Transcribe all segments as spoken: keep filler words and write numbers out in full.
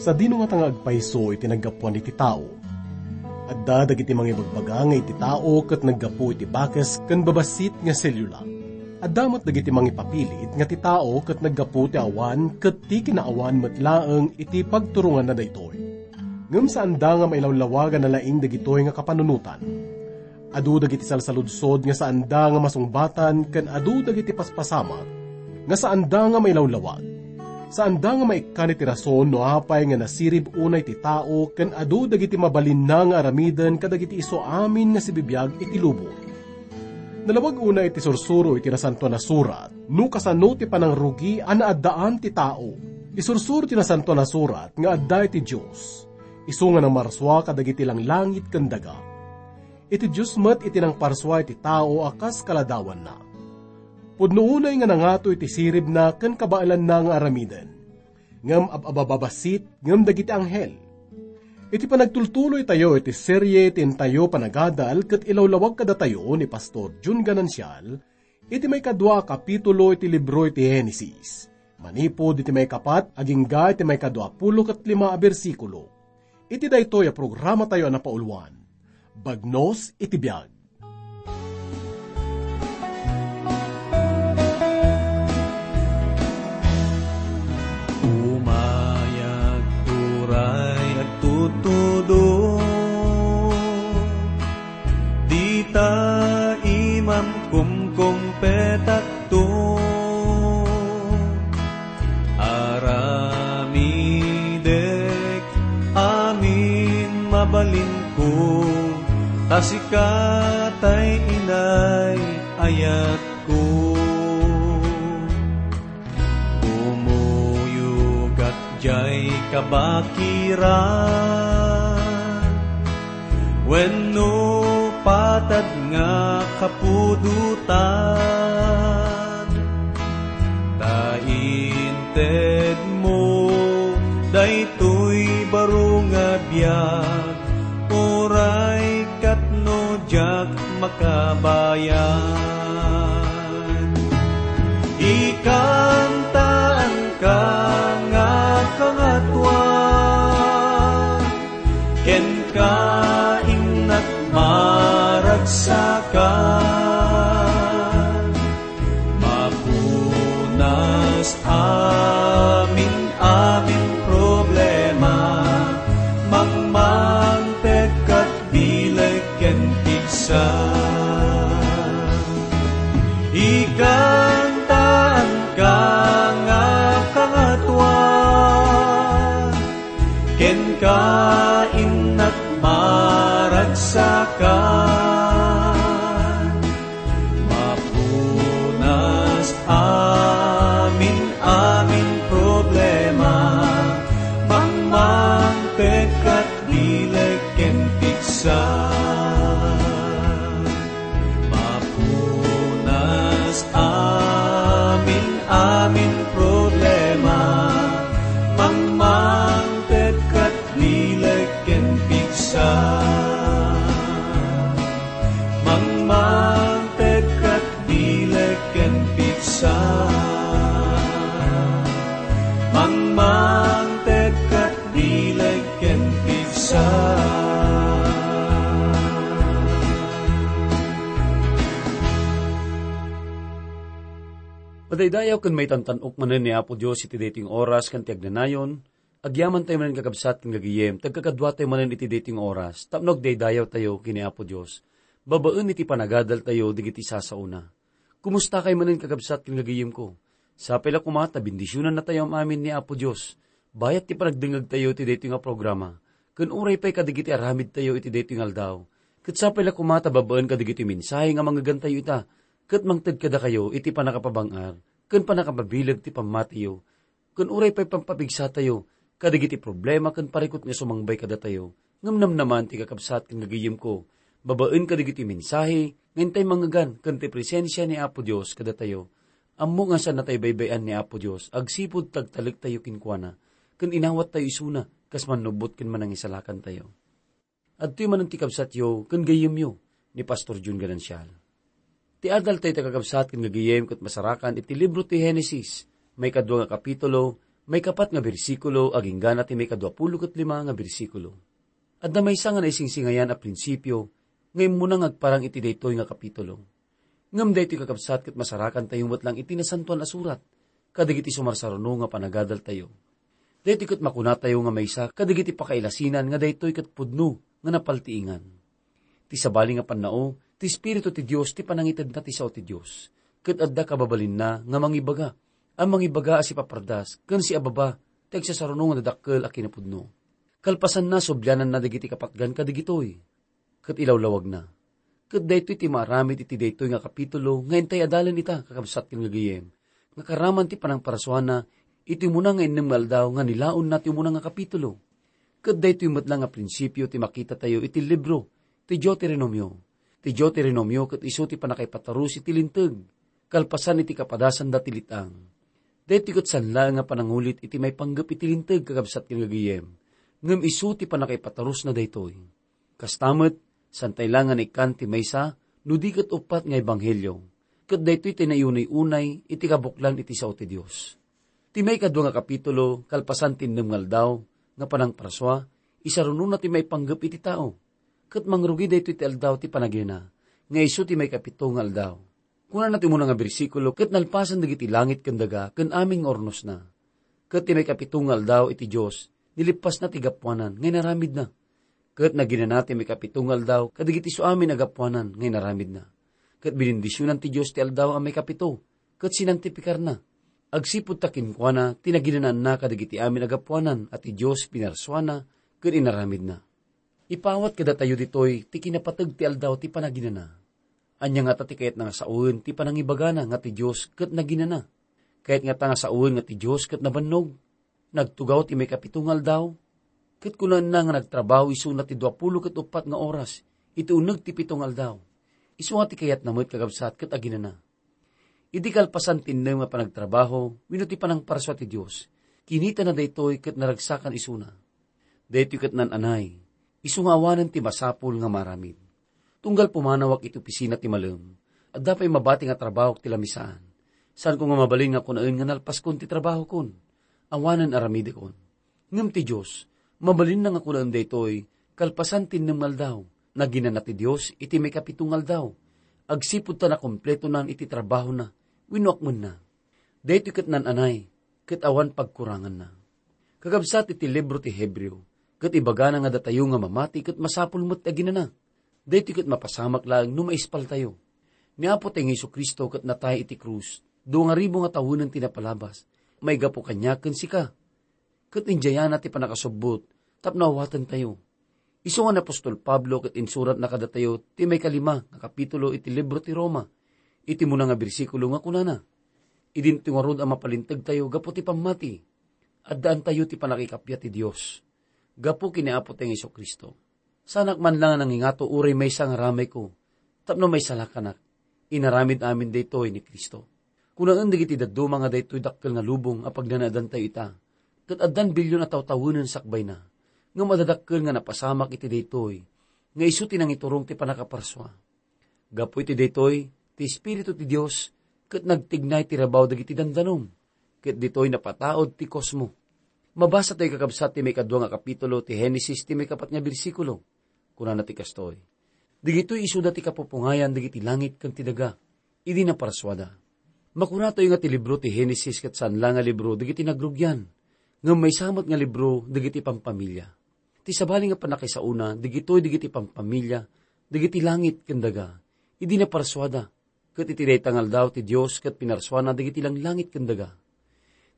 Sadino ngata nga agpayso iti naggapuan iti tao? Adda dagiti mangibagbaga nga iti tao ket naggapu iti bakes ken babassit nga selula. Adda met dagiti mangipapilit nga ti tao ket naggapu ti awan ket ti kinaawan met laeng iti pagturonganna daytoy. Ngem saanda nga mailawlawag a nalaing dagitoy nga kapanunotan. Adu dagiti salsaludsod nga saanda nga masungbatan ken adu dagiti paspasamak nga saanda nga mailawlawag. Saanda nga maikkan iti rason no apay nga nasirib unay ti tao ken adu dagiti mabalinna nga aramiden kadagiti isu amin nga sibibiag iti lubong. Nalawag unay iti sursuro iti Nasantoan a Surat no kasano ti panangrugi a naaddaan ti tao. Isursuro ti Nasantoan a Surat nga adda iti Dios, isu nga namarsua kadagiti langlangit ken daga. Iti Dios met iti nangparsua iti tao a kas kaladawanna. Pudno unay nga nangato iti siribna ken kabaelanna nga aramiden, ngem ab-abababassit ngem dagiti anghel. Iti panagtultuloytayo iti serie ti intayo panagadal ket ilawlawag kadatayo ni Pastor Jun Ganancial iti maikadua a kapitulo iti libro iti Genesis, manipud iti maikapat agingga iti maikadua pulo ket lima a bersikulo. Iti daytoy a programatayo a napauluan, Bagnos iti Biag. Umayag turay agtutudong, dita imam kumkumpetakto. Aramidek amin mabalinko, ta sika tay inay ayatko. Kumuyogak diay kabakiran wenno patad nga kapudotan, ta intedmo daytoy baro nga biag, uray ket no diak makabayag. Ikantaanka nga Kangatoan, kenka innak maragsakan. Mapunas amin-amin problema, mangmangted ket bileg ken pigsa. Ikantaanka nga Kangatoan, kenka innak maragsakan. Mapunas amin-amin problema, mangmangted ket bileg ken pigsa. Mapunas amin-amin problema, mangmangted ket bileg ken pigsa. Mangmangted ket bileg ken pigsa. Mangmangted ket bileg ken pigsa. Madaydayaw ken maitantan-ok manen ni Apo Dios iti daytoy nga oras ken ti agnanayon. Agyamantayo manen, kakabsat ken gagayem, ti agkakaduatayo manen iti daytoy nga oras tapno agdaydayawtayo ken ni Apo Dios babaen iti panagadaltayo dagiti sasaona. Kumustakay manen, kakabsat ken gagayemko? Sapay la koma ta bendisionannatayo am-amin ni Apo Dios bayat ti panagdengngegtayo iti daytoy nga programa, ken uray pay kadagiti aramidtayo iti daytoy nga aldaw. Ket sapay la koma ta babaen kadagiti mensahe nga mangngegantayo ita, ket mangted kadakayo iti pannakapabang-ar ken pannakapabileg ti pammatiyo, ken uray pay pampapigsatayo kadagiti problema ken parikut nga sumangbay kadatayo, ngem namnaman ti kakabsat ken gagayemko, babaen kadagiti mensahe nga intay mangngegan ken ti presensia ni Apo Dios kadatayo. Ammok nga saannatayo baybay-an ni Apo Dios agsipud ti agtalektayo kenkuana, ken inawattayo isuna kas mannubbot ken manangisalakantayo. Adtoy manen ti kabsatyo ken gayyemyo, ni Pastor Jun Ganancial. Ti adaltayo, ti kakabsat ken gagayem, ket masarakan iti libro ti Genesis, maikadua nga kapitulo, Maikapat nga bersikulo agingga na ti maikaduapulo ket lima nga bersikulo. Adda maysa nga naisingsingayan a prinsipio nga immuna nga agparang iti daytoy nga kapitulo. Ngem daytoy, kakabsat, ket masarakantayo met lang iti Nasantoan a Surat kadagiti sumarsaruno nga panagadaltayo. Daytoy ket makunatayo nga maysa kadagiti pakailasinan nga daytoy ket pudno nga napaltiingan. Ti sabali nga pannao, ti Espiritu ti Dios ti panangitedna ti sao ti Dios, ket adda kababalinna nga mangibaga, a mangibaga a sipapardas ken siababa ti agsasaruno nga dadakkel a kinapudno. Kalpasanna, subliananna dagiti kapatgan kadagitoy ket ilawlawagna. Ket daytoy ti maaramid iti daytoy nga kapitulo nga intay adalen ita, kakabsat ken gagayyem, nga karaman ti panangparsuana iti umuna nga innem nga aldaw nga nilaonna ti umuna nga kapitulo. Ket daytoy met la nga prinsipio ti makitatayo iti libro ti Deuteronomio. Ti Deuteronomio ket isu ti pannakaipatarus iti Linteg, kalpasan iti kapadasanda ti let-ang. Daytoy ket saan laeng nga panangulit iti maipanggep iti Linteg, kakabsat ken gagayyem, ngem isu ti pannakaipatarusna daytoy. Kasta met, saantay la nga naikkan ti maysa no di ket uppat nga ebanghelio, ket daytoy ti naiunay-unay iti kabuklan iti sao ti Dios. Ti maikadua nga kapitulo, kalpasan ti innem nga aldaw nga panangparsua, isarunona ti maipanggep iti tao, ket mangrugi daytoy ti aldaw ti panaginana, nga isu ti maikapito nga aldaw. Kunana ti umuna nga bersikulo, ket nalpasen dagiti langit ken daga ken amin nga urnosna. Ket ti maikapito nga aldaw iti Dios, nilippasna ti gapuanan nga inaramidna. Ket naginana ti maikapito nga aldaw kadagiti isu amin a gapuanan nga inaramidna. Ket binindisionan ti Dios ti aldaw a maikapito, ket sinantipikarna. Agsipud ta kenkuana ti naginanaanna kadagiti amin a gapuanan a ti Dios pinarsuana ken inaramidna. Ipawat kadatayo ditoy ti kinapateg ti aldaw ti panaginana. Ania ngata ti kayatna nga sawen ti panangibagana nga ti Dios ket naginana? Kayat ngata nga sawen nga ti Dios ket nabannog? Nagtugaw ti maikapito nga aldaw, ket kunaenna nga nagtrabaho isuna ti duapulo ket uppat nga oras iti uneg ti pito nga aldaw. Isu nga ti kayatna met, kakabsat, ket aginana. Idi kalpasan ti innem nga panagtrabaho wenno ti panangparsua ti Dios, kinitana daytoy ket naragsakan isuna. Daytoy ket naan-anay, isu nga awanen ti masapul nga maaramid. Tunggal pumanawak iti opisina ti malem, adda pay mabati nga trabahok ti lamisaan. Saanko nga mabalin nga kunaen nga nalpaskon ti trabahokon. Awanen aramidekon. Ngem ti Dios, mabalinna nga kunaen daytoy, kalpasan ti innem nga aldaw. Naginana ti Dios iti maikapito nga aldaw, agsipud ta nakompletonan iti trabahona wenno akmenna. Daytoy ket naan-anay, ket awan pagkuranganna. Kakabsat, iti libro ti Hebreo, ket ibagana nga datayo nga mamati ket masapul met ti aginana. Daytoy ket mapasamak laeng no maispaltayo. Ni Apotayo nga Jesu-Cristo ket natay iti krus, dua nga ribu nga tawenen ti napalabas, maigapu kaniak ken sika. Ket idiayna ti pannakasubbot tapno awatentayo. Isu nga ni apostol Pablo ket insuratna kadatayo ti maikalima nga kapitulo iti libro ti Roma, iti umuna nga bersikulo nga kunana, "Idinto ngarud a mapalintegtayo gapu ti pammati, addaantayo ti pannakikappia ti Dios gapu ken ni Apotayo nga Jesu-Cristo." Saanak man la nga nangingato uray maysa nga ramayko tapno maisalakanak. Inaramid amin daytoy ni Cristo. Kunaen dagiti dadduma nga daytoy dakkel nga lubong a pagnanaedantayo ita, ket addan billion a tawtawenen sakbayna, ngem adda dakkel nga napasamak iti daytoy, nga isu ti nangiturong ti pannakaparsua. Gapu iti daytoy, ti Espiritu ti Dios ket nagtignay ti rabaw dagiti dandanom, ket ditoy napataud ti kosmo. Mabasatayo, kakabsat, ti maikadua nga kapitulo ti Genesis, ti maikapat nga bersikulo. Kunana ti kastoy, "Dagitoy isuda ti kapupungayan dagiti langit ken ti daga, idi naparsuada." Makunatayo nga ti libro ti Genesis ket saan la nga libro dagiti nagrugian, ngem maysa met nga libro dagiti pampamilya. Ti sabali nga pannakaisaona, dagitoy dagiti pampamilya dagiti langit ken daga, idi naparsuada, ket iti dayta nga aldaw ti Dios ket pinarsuana dagiti langlangit ken daga.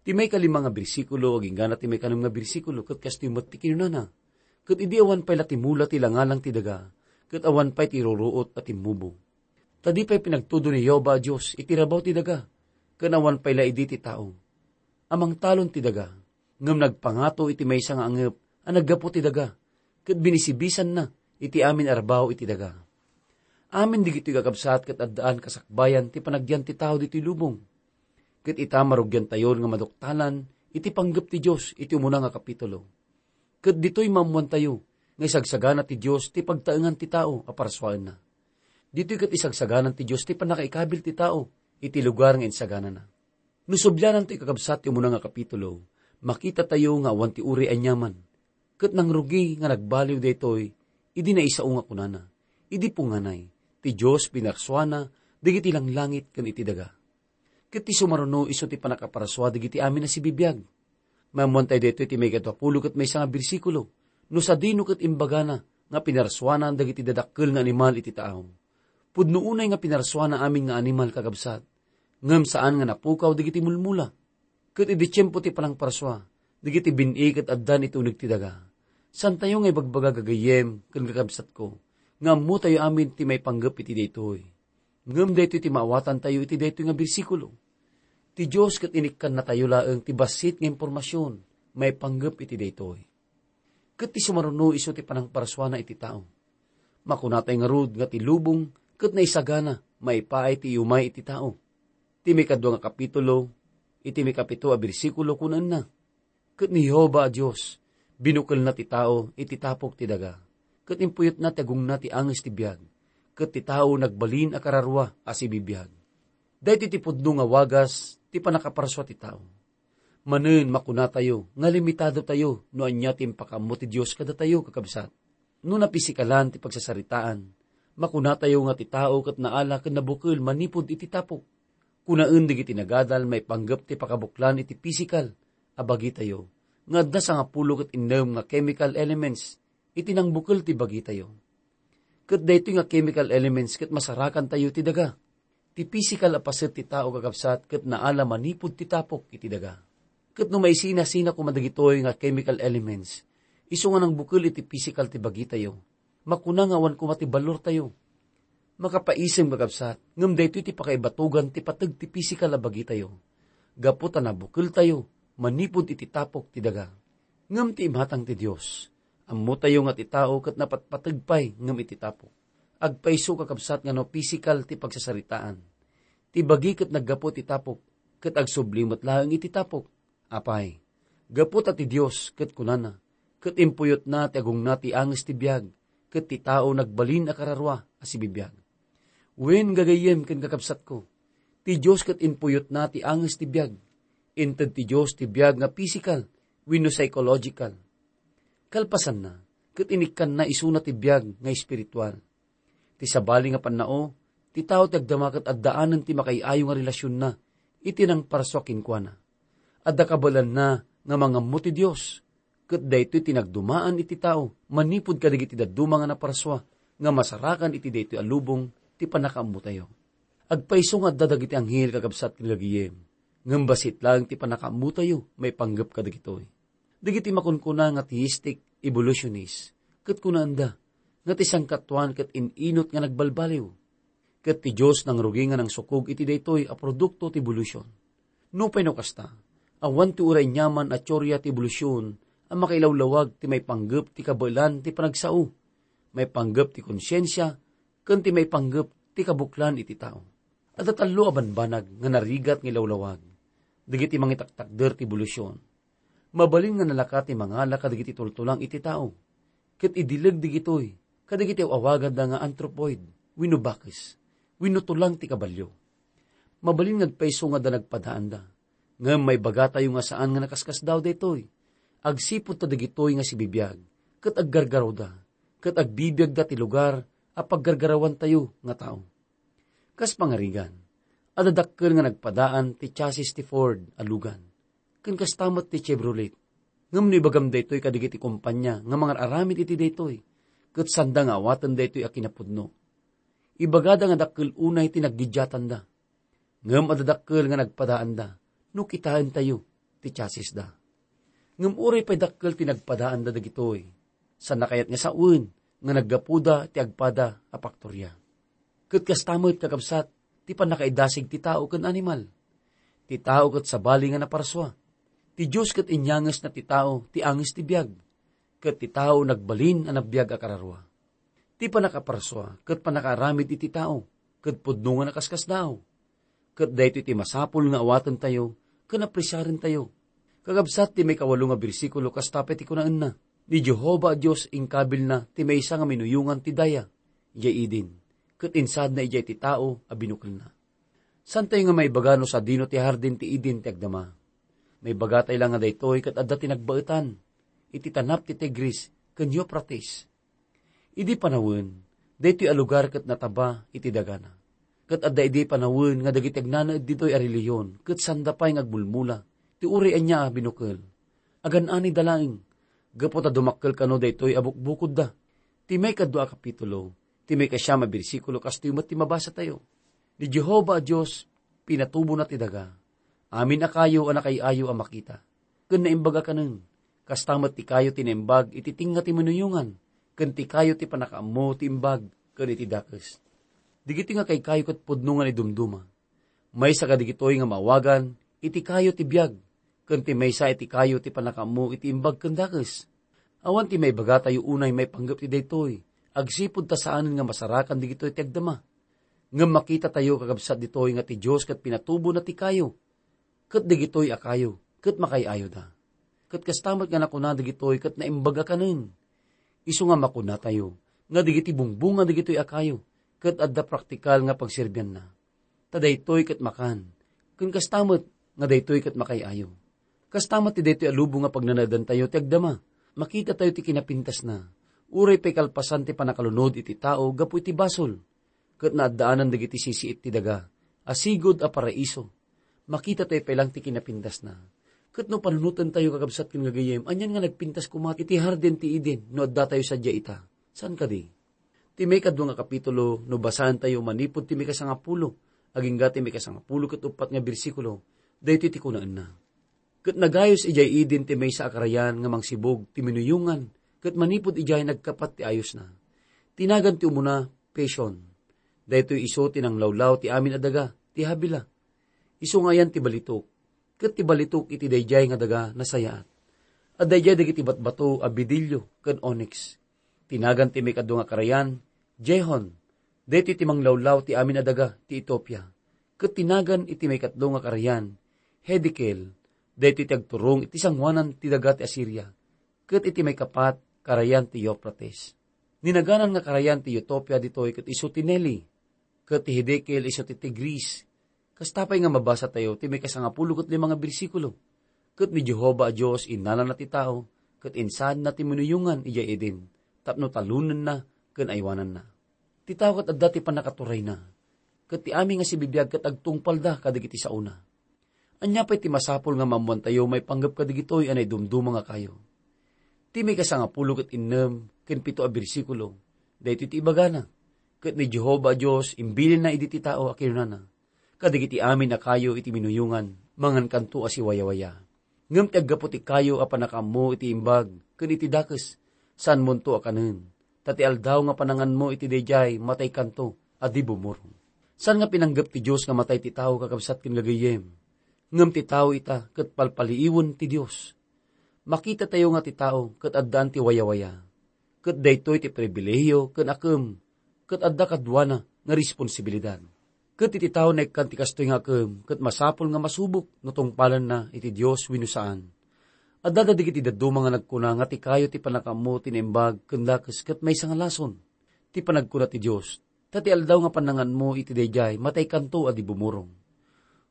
Ti maikalima nga bersikulo agingga na ti maikanem nga bersikulo ket kastoy met ti kinunana, "Ket idi awan pay la ti mula ti langalang ti daga, ket awan pay ti ruruot a timmubo." Ta di pay pinagtudo ni Jehovah a Dios iti rabaw ti daga, ken awan pay la idi ti tao a mangtalon ti daga, ngem nagpangato iti maysa nga angep a naggapu ti daga, ket binisibisanna iti amin a rabaw iti daga. Amin dagitoy, kakabsat, ket addaan kasakbayan ti panagyan ti tao ditoy lubong. Ket ita, marugiantayon nga maduktalan iti panggep ti Dios iti umuna nga kapitulo. Ket ditoy maammoantayo nga isagsagana ti Dios ti pagtaengan ti tao a parsuaenna. Ditoy ket isagsaganan ti Dios ti pannakaikabil ti tao iti lugar nga insaganana. No subliananto, kakabsat, ti umuna nga kapitulo, Makitatayo nga awan ti uray aniaman, ket nangrugi nga nagbaliw daytoy idi naisao nga kunana, idi punganay, ti Dios pinarsuana dagiti langlangit ken iti daga. Ket ti sumaruno isu ti pannakaparsua dagiti amin a sibibiag. Maammoantayo daytoy ti maikadua pulo ket maysa nga bersikulo, no sadino ket imbagana nga pinarsuana dagiti dadakkel nga animal iti taaw. Pudno unay nga pinarsuana amin nga animal, kakabsat, ngem saan nga napukaw dagiti mulmula. Ket idi tiempo ti panangparsua, dagiti bin-i ket addan iti uneg ti daga. Saantayo nga ibagbaga, gagayyem ken kakabsatko, nga ammotayo amin ti maipanggep iti daytoy. Ngem daytoy ti maawatantayo iti daytoy nga bersikulo. Ti Dios ket inikkannatayo laeng ti bassit nga impormasion maipanggep iti daytoy. Ket ti sumaruno isu ti panangparsuana iti tao. Makunatay ngarud nga ti lubong ket naisagana maipaay ti iumay iti tao. Ti maikadua nga kapitulo, iti maikapito a bersikulo, kunaenna, "Ket ni Jehovah a Dios, binukelna ti tao iti tapok ti daga, ket impuyotna ti agongna ti anges ti biag, ket ti tao nagbalin a kararua a sibibiag." Daytoy ti pudno nga wagas ti pannakaparsua ti tao. Manen, makunatayo nga limitadotayo no ania ti impakaammo ti Dios kadatayo, kakabsat. No napisikalan ti pagsasaritaan, makunatayo nga ti tao ket naala ken nabukel manipud iti tapok. Kunaen dagiti nagadal maipanggep ti pakabuklan iti pisikal a bagitayo nga adda sangapulo ket innem nga chemical elements iti nangbukel ti bagitayo. Ket daytoy nga chemical elements ket masarakantayo ti daga. Ti pisikal a paset ti tao, kakabsat, ket naala manipud ti tapok iti daga. Ket no maisinasina koma dagitoy nga chemical elements, isu nga nangbukel iti pisikal ti bagitayo, makuna nga awan koma ti balortayo. Makapaisem, kakabsat, ngem daytoy ti pakaibatogan ti pateg ti pisikal a bagitayo. Gapu ta nabukeltayo manipud iti tapok ti daga. Ngem ti imatang ti Dios, ammotayo nga ti tao ket napatpateg pay ngem iti tapok. Agpayso, kakabsat, nga no pisikal ti pagsasaritaan, ti bagi ket naggapu ti tapok, ket agsubli met laeng iti tapok. Apay, gapu ta ti Dios ket kunana, ket impuyotna ti agongna ti anges ti biag, ket ti tao nagbalin a kararua a sibibiag. Wen, gagayyem ken kakabsatko, ti Dios ket impuyotna ti anges ti biag. Inted ti Dios ti biag nga pisikal wenno psychological. Kalpasanna, ket inikkanna isuna ti biag nga espiritual. Ti sabali nga pannao, ti tao ti agdama ket addaanen ti makaiayo nga relasionna iti nangparsua kenkuana. Adda kabaelanna nga mangammo ti Dios, ket daytoy ti nagdumaan iti tao manipud kadagiti dadduma nga naparsua nga masarakan iti daytoy a lubong ti pannakaammotayo. Agpayso nga adda dagiti anghel, kakabsat ken gagayem, ngem bassit laeng ti pannakaammotayo maipanggep kadagitoy. Dagiti makunkuna nga theistic evolutionist ket kunaenda nga ti sangkatuan ket in-inut nga nagbalbaliw. Ket ti Dios nangrugi nga nangsukog iti daytoy a produkto ti evolution. Nupay no kasta, awan ti uray aniaman a teoria ti evolution a makailawlawag ti maipanggep ti kabaelan ti panagsao, maipanggep ti konsiensia, ken ti maipanggep ti kabuklan iti tao. Adda tallo a banbanag nga narigat nga ilawlawag dagiti mangitaktakder ti evolution. Mabalin nga nalaka ti mangala kadagiti tultulang iti tao, ket idileg dagitoy kadagiti aw-awaganda nga anthropoid wenno bakes wenno tulang ti kabalio. Mabalin nga agpayso nga adda nagpadaanda, ngem maibagatayo nga saan nga nakaskasdaaw daytoy. Agsipud ta dagitoy nga sibibiag ket aggargarawda, ket agbibiagda ti lugar a paggargarawantayo nga tao. Kas pangarigan, adda dakkel nga nagpadaan ti chassis ti Ford a Logan, ken kasta met ti Chevrolet. Ngem no ibagam daytoy kadagiti kompania nga mangar-aramid iti daytoy, ket saanda nga awaten daytoy a kinapudno. Ibagada nga dakkel unay ti naggidiatanda. Ngem adda dakkel nga nagpadaanda no kitaentayo ti chassisda. Ngem uray pay dakkel ti nagpadaanda dagitoy, saanna kayat nga sawen nga naggapuda ti agpada a paktoria. Ket kasta met, kakabsat, ti pannakaidasig ti tao ken animal. Ti tao ket sabali nga naparsua. Ti Dios ket inyangesna ti tao ti anges ti biag, ket ti tao nagbalin a nabiag a kararua. Ti pannakaparsua ket pannakaaramid iti tao, ket pudno nga nakaskasdaaw. Ket daytoy ti masapul nga awatentayo ken apresiarentayo. Kakabsat ti maikawalo nga bersikulo, kasta pay ti kunaenna, "Ni Jehovah a Dios inkabilna ti maysa nga minuyongan ti daya idiay Eden, ket insaadna idiay ti tao a binukelna." Saantayo nga maibaga no sadino ti hardin ti Eden ti agdama. Maibagatay la nga daytoy ket adda ti nagbaetan iti tanap ti Tigris ken Euphrates. Idi panawen, daytoy a lugar ket nataba iti dagana. Ket adda idi panawen nga dagiti agnanaed ditoy a relihiyon ket sanda pay nga agmulmula ti uray ania a binukel. Agan-anida laeng, gapu ta dumakkel kano daytoy a bukbukodda. Ti maikadua a kapitulo, ti maikasiam a bersikulo, kastoy met ti mabasatayo. Ni Jehovah a Dios, pinatubona ti daga. Amin a kayo a nakay-ayo a makita, ken naimbag a kanen. Kasta met ti kayo ti naimbag iti tengnga ti minuyongan, ken ti kayo ti pannakaammo ti imbag ken iti dakes. Dagiti nga kaykayo ket pudno nga naidumduma. Maysa kadagitoy nga maawagan iti kayo ti biag, ken ti maysa iti kayo ti pannakaammo iti imbag ken dakes. Awan ti maibagatayo unay maipanggep ti daytoy, agsipud ta saanen nga masarakan dagitoy ti agdama. Ngem makitatayo, kakabsat, ditoy nga ti Dios ket pinatubona ti kayo, ket dagitoy a kayo ket makay-ayoda. Ket kasta met nga nakuna dagitoy ket naimbag a kanen. Isu nga makunatayo nga dagiti bungbunga dagitoy a kayo ket adda praktikal nga pagserbianna. Ta daytoy ket makan, ken kasta met nga daytoy ket makay-ayo. Kasta met ti daytoy a lubong nga pagnanaedantayo ti agdama. Makitatayo ti kinapintasna, uray pay kalpasan ti pannakalunod iti tao gapu iti basol, ket naaddaanan dagiti sisiit ti daga a sigud a paraiso. Makitatayo pay laeng ti kinapintasna. Ket no panunotentayo, kakabsat ken gagayyem, anian nga nagpintas koma iti Hardin ti Eden no addatayo sadiay ita? Saan kadi? Ti maikadua nga kapitulo, no basaentayo manipud ti maikasangapulo, agingga ti maikasangapulo ket uppat nga bersikulo, daytoy ti kunaenna. Ket nagayos idiay Eden ti maysa a karayan nga mangsibug ti minuyongan, ket manipud idiay nagkapat ti ayosna. Ti nagan ti umuna, Pishon. Daytoy isu ti nanglawlaw ti amin a daga, ti Habila. Isu nga ayan ti balitok. Ket ti balitok iti daydiay nga daga nasayaat. Adda idiay dagiti batbato a bidilio ken onyx. Ti nagan ti maikadua nga karayan, Gihon. Daytoy ti manglawlaw ti amin a daga ti Etiopia. Ket ti nagan iti maikatlo nga karayan, Hiddekel. Daytoy ti agturong iti sangoanan ti daga ti Asiria. Ket iti maikapat, karayan ti Euphrates. Ni naganan nga karayan ti Etiopia ditoy ket isu ti Nili, ket ti Hiddekel isu ti Tigris. Kasta pay nga mabasatayo ti maikasangapulo ket lima nga bersikulo. Ket ni Jehovah a Dios innalana ti tao, ket insaadna ti minuyongan idiay Eden tapno talonenna ken aywananna. Ti tao ket adda ti pannakaturayna, ket ti amin nga sibibiag ket agtungpalda kadagiti saona. Ania pay ti masapul nga maammoantayo maipanggep kadagitoy a naidumduma nga kayo? Ti maikasangapulo ket innem ken pito a bersikulo, daytoy ti ibagana, ket ni Jehovah a Dios imbilinna idi ti tao a kinunana, kadagiti amin a kayo iti minuyongan, mangankanto a siwayawaya. Ngem ti aggapu ti kayo a pannakaammo iti imbag ken iti dakes, saanmonto a kanen, ta ti aldaw nga pananganmo iti daydiay, mataykanto a di bumurong. Saan nga pinanggep ti Dios nga matay ti tao, kakabsat ken gagayyem? Ngem ti tao ita ket palpaliiwen ti Dios. Makitatayo nga ti tao ket addaan ti wayawaya, ket daytoy ti pribilehiyo ken akem, ket adda kaduana nga responsibilidad. Ket iti tao naikkan ti kastoy nga akem, ket masapul nga masubok no tungpalenna iti Dios wenno saan. Adda dagiti dadduma nga nagkuna nga ti kayo ti pannakaammo ti naimbag ken dakes ket maysa nga lason ti panagkuna ti Dios, ta ti aldaw nga pannanganmo iti daydiay, mataykanto a di bumurong.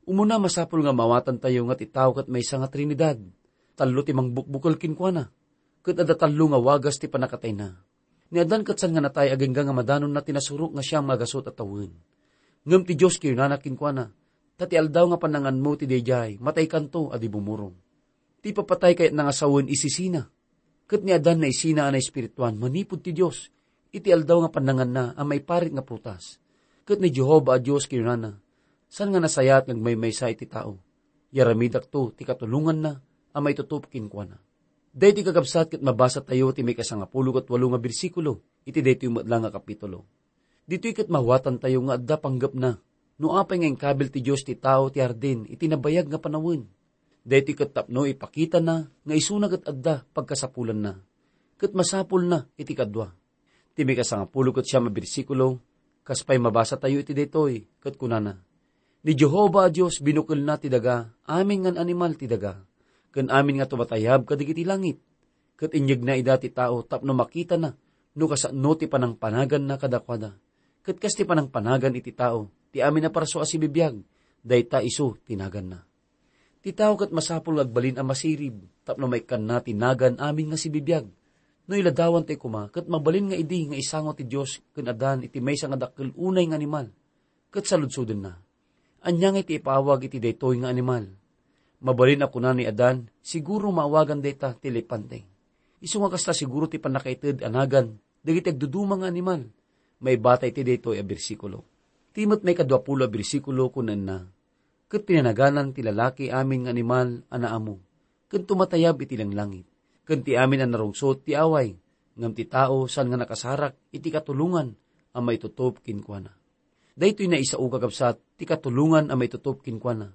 Umuna, masapul nga maawatantayo nga ti tao ket maysa nga Trinidad. Tallo ti mangbukbukel kenkuana, ket adda tallo nga wagas ti pannakatayna. Ni Adan ket saan nga natay agingga nga madanonna ti nasurok nga siam nga gasut a tawen. Ngem ti Dios kinunana kenkuana, ta ti aldaw nga pannanganmo ti daydiay, mataykanto a di bumurong. Ti ipapatay kayatna nga sawen isisina. Ket ni Adan naisina a naespirituan manipud ti Dios iti aldaw nga pannanganna a maiparit nga prutas. Ket ni Jehovah a Dios kinunana, saan nga nasayaat nga agmaymaysa iti tao. Yaramidakto ti katulonganna a maitutup kenkuana. Daytoy, kakabsat, ket mabasatayo ti maikasangapulo ket walo nga bersikulo iti daytoy met la nga kapitulo. Ditoy ket mawatantayo nga adda panggepna no apay nga inkabil ti Dios ti tao ti hardin iti nabayag nga panawen. Daytoy ket tapno ipakitana nga isuna ket adda pagkasapulanna, ket masapulna iti kadua. Ti maikasangapulo ket siam a bersikulo, kas pay mabasatayo iti daytoy, ket kunana, ni Jehovah a Dios binukelna ti daga, amin nga animal ti daga, ken amin nga tumatayab kadagiti langit. Ket inyegna ida ti tao tapno makitana no kasano ti panangpanaganna kadakuada. Ket kas ti panangpanagan iti tao ti amin a parso a sibibiag, dayta isu ti naganna. Ti tao ket masapul nga agbalin a masirib tapno maikkanna ti nagan amin nga sibibiag. No iladawan tayo koma, ket mabalin nga idi nga isango ti Dios ken Adan iti maysa nga dakkel unay nga animal, ket saludsodenna. Ania ngay ti ipaawag iti daytoy nga animal? Mabalin a kuna ni Adan, "Siguro maawagan dayta ti elepante." Isu nga kasta, siguro ti pannakaited a nagan dagiti agduduma nga animal. Maibata iti daytoy a bersikulo. Ti met maikadua pulo a bersikulo, kunaenna, "Ket pinanaganan ti lalaki amin nga animal a naammo, ken tumatayab iti langlangit, ken ti amin a narungsot ti away, ngem ti tao saan nga nakasarak iti katulongan a maitutop kenkuana." Daytoy naisao, kakabsat, ti katulongan a maitutop kenkuana,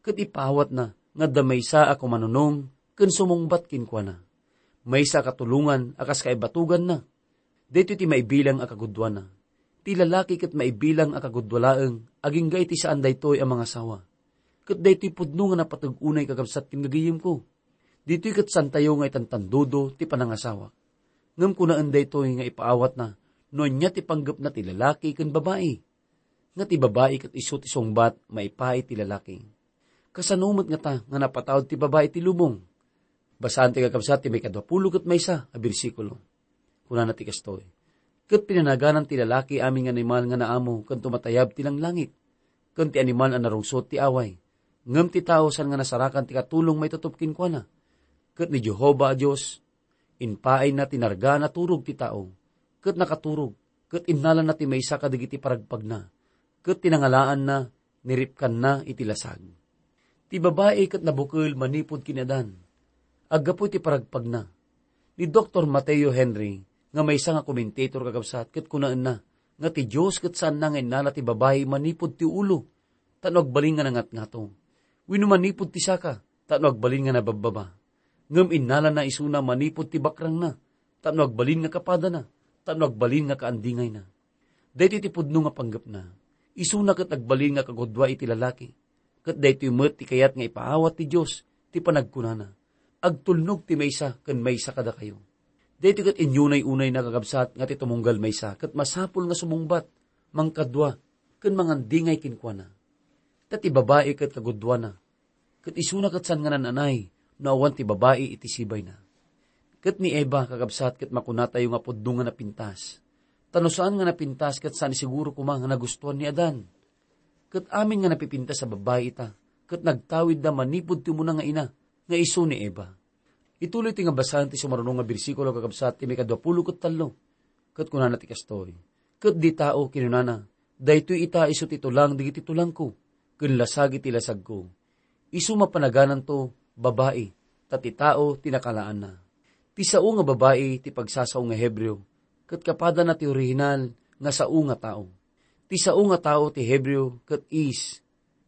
ket ipaawatna nga adda maysa a kumanunong ken sumungbat kenkuana. Maysa a katulongan a kas kaibatuganna. Daytoy ti maibilang a kagudduana. Ti lalaki ket maibilang a kagudua laeng agingga iti saan daytoy a mangasawa. Ket daytoy pudno nga napateg unay, kakabsat ken gagayemko. Ditoy ket saantayo nga itantandudo ti panangasawak. Ngem kunaen daytoy nga ipaawatna no ania ti panggepna ti lalaki ken babai. Nga ti babai ket isu ti sungbat maipaay ti lalaki. Kasano met ngata nga napataud ti babai ti lubong? Basaan ti, kakabsat, ti maikadua pulo ket maysa a bersikulo. Kunana ti kastoy, "Ket pinanaganan ti lalaki amin nga animal nga naammo ken tumatayab ti langlangit, ken ti animal a narungsot ti away. Ngem ti tao saan nga nasarakan ti katulong maitutop kenkuana. Ket ni Jehovah a Dios, impaayna ti narga a naturog ti tao, ket nakaturog, ket innalana ti maysa kadagiti paragpagna, ket ti nangalaanna, niripkanna iti lasag." Ti babai ket nabukel manipud ken ni Adan. Aggapu iti paragpagna, ni Doktor Mateo Henry, nga maysa nga komentator, kakabsat, ket kunaenna nga ti Dios ket saanna nga innala ti babai manipud ti ulo, tapno agbalin nga nangatngato, wenno manipud ti saka, tapno agbalin nga nababbaba. Ngem innalana isuna manipud ti bakrangna, tapno agbalin nga kapadana, tapno agbalin nga kaandingayna. Daytoy ti pudno nga panggepna. Isuna ket agbalin nga kagudua iti lalaki. Ket daytoy met ti kayat nga ipaawat ti Dios ti panagkunana, "Agtulnog ti maysa ken maysa kadakayo." Daytoy ket inyunay-unayna, kakabsat, nga ti tumunggal maysa ket masapul nga sumungbat, mangkadua, ken mangandingay kenkuana. Ta ti babai ket kagudduana, ket isuna ket saan nga naan-anay no awan ti babai iti sibayna. Ket ni Eva, kakabsat, ket makunatayo nga pudno nga napintas. Ta no saan nga napintas, ket saan siguro koma nga nagustuan ni Adan. Ket amin nga napipintas a babai ita, ket nagtawidda manipud ti umuna nga ina, nga isu ni Eva. Ituloy ti nga basaen ti sumaruno nga bersikulo, kakabsat, ti maikadua pulo ket tallo. Ket kunana ti kastoy, "Ket di tao," kinunana, "daytoy ita isu ti tulang dagiti tulangko, ken lasag iti lasagko. Isu mapanagananto babai, ta ti tao ti nakalaanna." Ti sao nga babai ti pagsasao nga Hebreo, ket kapadana ti orihinal nga sao nga tao. Ti sao nga tao ti Hebreo ket is,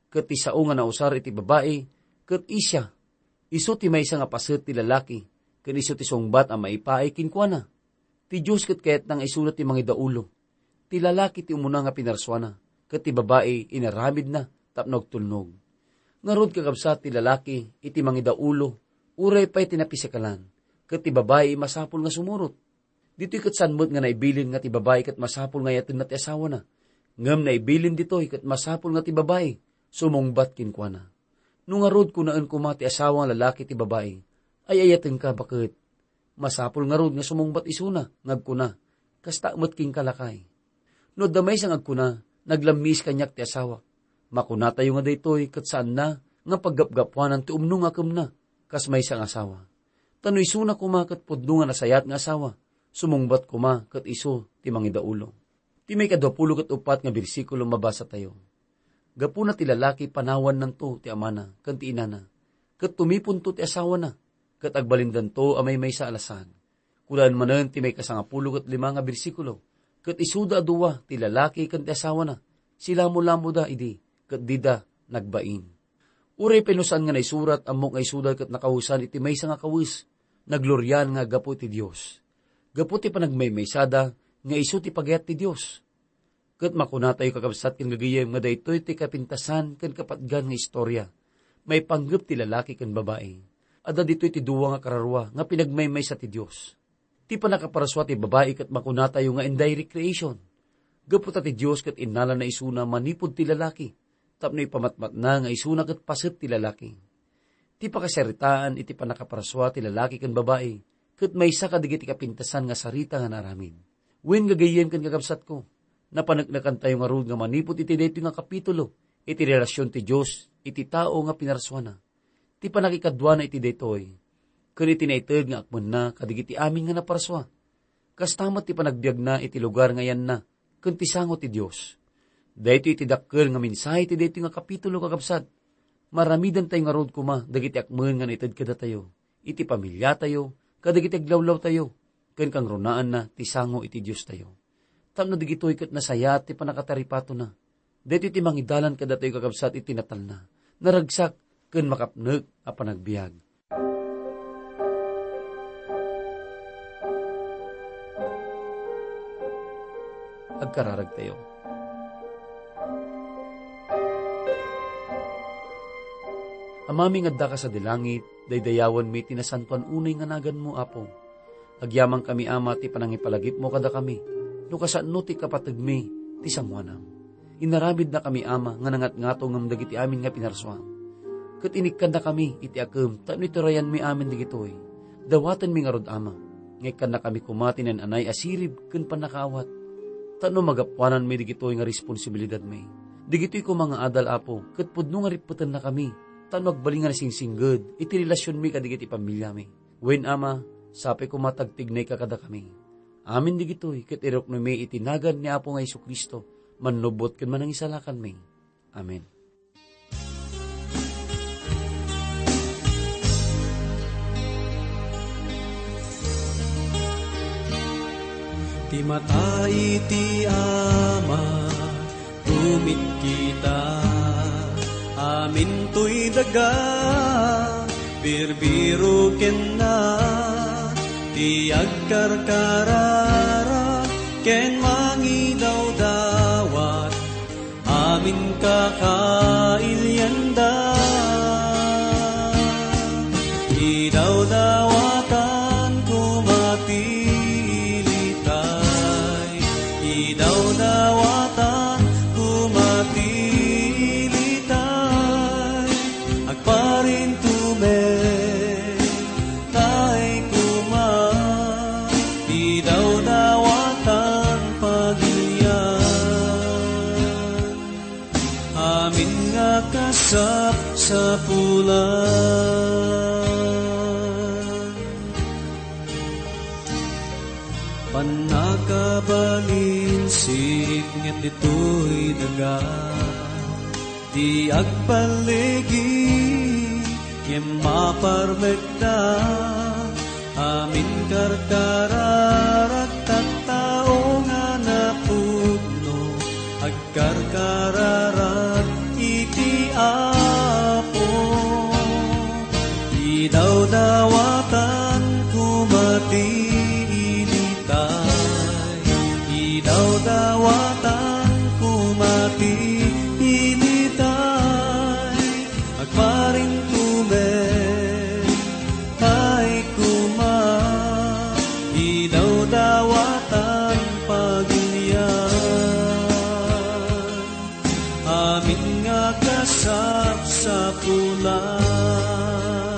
ket ti sao nga nausar iti babai ket isya. Isu ti maysa nga paset ti lalaki, ken isu ti sungbat a maipaay kenkuana. Ti Dios ket kayatna nga isuna ti mangidaulo. Ti lalaki ti umuna nga pinarsuana, ket ti babai inaramidna tapno agtulnog. Ngarud, kakabsat, ti lalaki iti mangidaulo, uray pay ti napisikalan, ket ti babai masapul nga sumurot. Ditoy ket saan met nga naibilin nga ti babai ket masapul nga ayatenna ti asawana. Ngem naibilin ditoy ket masapul nga ti babai sumungbat kenkuana. No ngarud, kunaen koma ti asawa nga lalaki ti babai, "Ay-ayatenka, baket. Masapul ngarud nga sumungbat isuna nga agkuna, 'Kasta met kenka, lakay.'" No adda maysa nga agkuna, "Naglammiis kaniak ti asawak," makunatayo nga daytoy ket saanna nga paggapgapuanan ti umno nga akemna kas maysa nga asawa. Ta no isuna koma ket pudno nga nasayat nga asawa, sumungbat koma ket isu ti mangidaulo. Ti maikadua pulo ket uppat nga bersikulo mabasatayo, "Gapuna ti lalaki panawannanto ti amana ken ti inana, ket tumiponto ti asawana, ket agbalindanto a maymaysa a lasag." Kunaen manen ti maikasangapulo ket lima nga bersikulo, "Ket isuda a dua, ti lalaki ken ti asawana, silamolamoda idi, ket dida nagbain." Uray pay no saan nga naisurat, ammok nga isuda ket nakawesan iti maysa nga kawes, nagloriaan nga aggapu iti Dios. Gapu ti panagmaymaysada nga isu ti pagayat ti Dios. Ket makunatayo, kakabsat ken gagayem, nga daytoy ti kapintasan ken kapatgan nga istorya maipanggep ti lalaki ken babai. Adda ditoy ti dua nga kararua nga pinagmaymaysa ti Dios. Ti pannakaparsua ti babai ket makunatayo nga indirect creation. Gapu ta ti Dios ket innalana isuna manipud ti lalaki, tapno ipamatmatna nga isuna ket paset ti lalaki. Ti pakasaritaan iti pannakaparsua ti lalaki ken babai ket maysa kadagiti kapintasan nga sarita nga naaramid. Wen, gagayyem ken kakabsatko, napaneknekantayo ngarud nga manipud iti daytoy nga kapitulo iti relasion ti Dios iti tao nga pinarsuana. Ti pannakikaduana iti daytoy ken iti naited nga akmenna kadagiti amin nga naparsua. Kasta met ti panagbiagna iti lugar nga yanna ken ti sango ti Dios. Daytoy iti dakkel nga mensahe ti daytoy nga kapitulo, kakabsat. Maaramidantayo ngarud koma dagiti akmen nga naited kadatayo, iti pamiliatayo, kadagiti aglawlawtayo, ken kangrunaanna ti sango iti Diostayo. Tapno dagitoy ket nasayaat ti pannakataripatona. Daytoy ti mangidalan kadatayo, kakabsat, iti natalna, naragsak, ken makapnek a panagbiag. Agkararagtayo. Amami nga addaka sadi langit, daydayawenmi ti nasantoan unay nga naganmo, Apo. Agyamankami, Ama, ti panangipalagipmo kadakami, no kasano ti kapategmi ti sangoanam. Inaramidnakami, Ama, nga nangatngatongem dagiti amin nga pinarsuam. Ket inikkannakami iti akem tapno iturayanmi amin dagitoy. Dawatenmi ngarud, Ama, nga ikkannakami koma ti naan-anay a sirib ken pannakaawat. Tapno magapuananmi dagitoy nga responsibilidadmi. Dagitoy koma nga adal, Apo, ket pudno nga rippetennakami, tapno agbalin nga nasingsingged iti relasionmi kadagiti pamiliami. Wen, Ama, sapay koma ti agtignayka kadakami. Amin dagitoy ket iruknomi iti nagan ni Apo nga Jesu-Cristo, Mannubbot ken Manangisalakanmi. Amen. Ti mata iti Ama, tumitkita, amintoy daga, birbiro kenna, ti agkarkararag ken mangidawdawat, amin kakailianda. Idawdawatan koma ti ilitay, idawdawatan koma ti ilitay, agparintumen tay koma, idawdawatan pagilian, amin nga kasapsapulan. Pannakabalinsit ngem ditoy daga, ti agballigi ngem maparmekda, amin karkararag tattao nga napudno, agkarkararag iti Apo. Idawdawatan koma ti ilitay, idawdawatan koma ti ilitay, agparintumen tay koma, idawdawatan pagilian, amin nga kasapsapulan.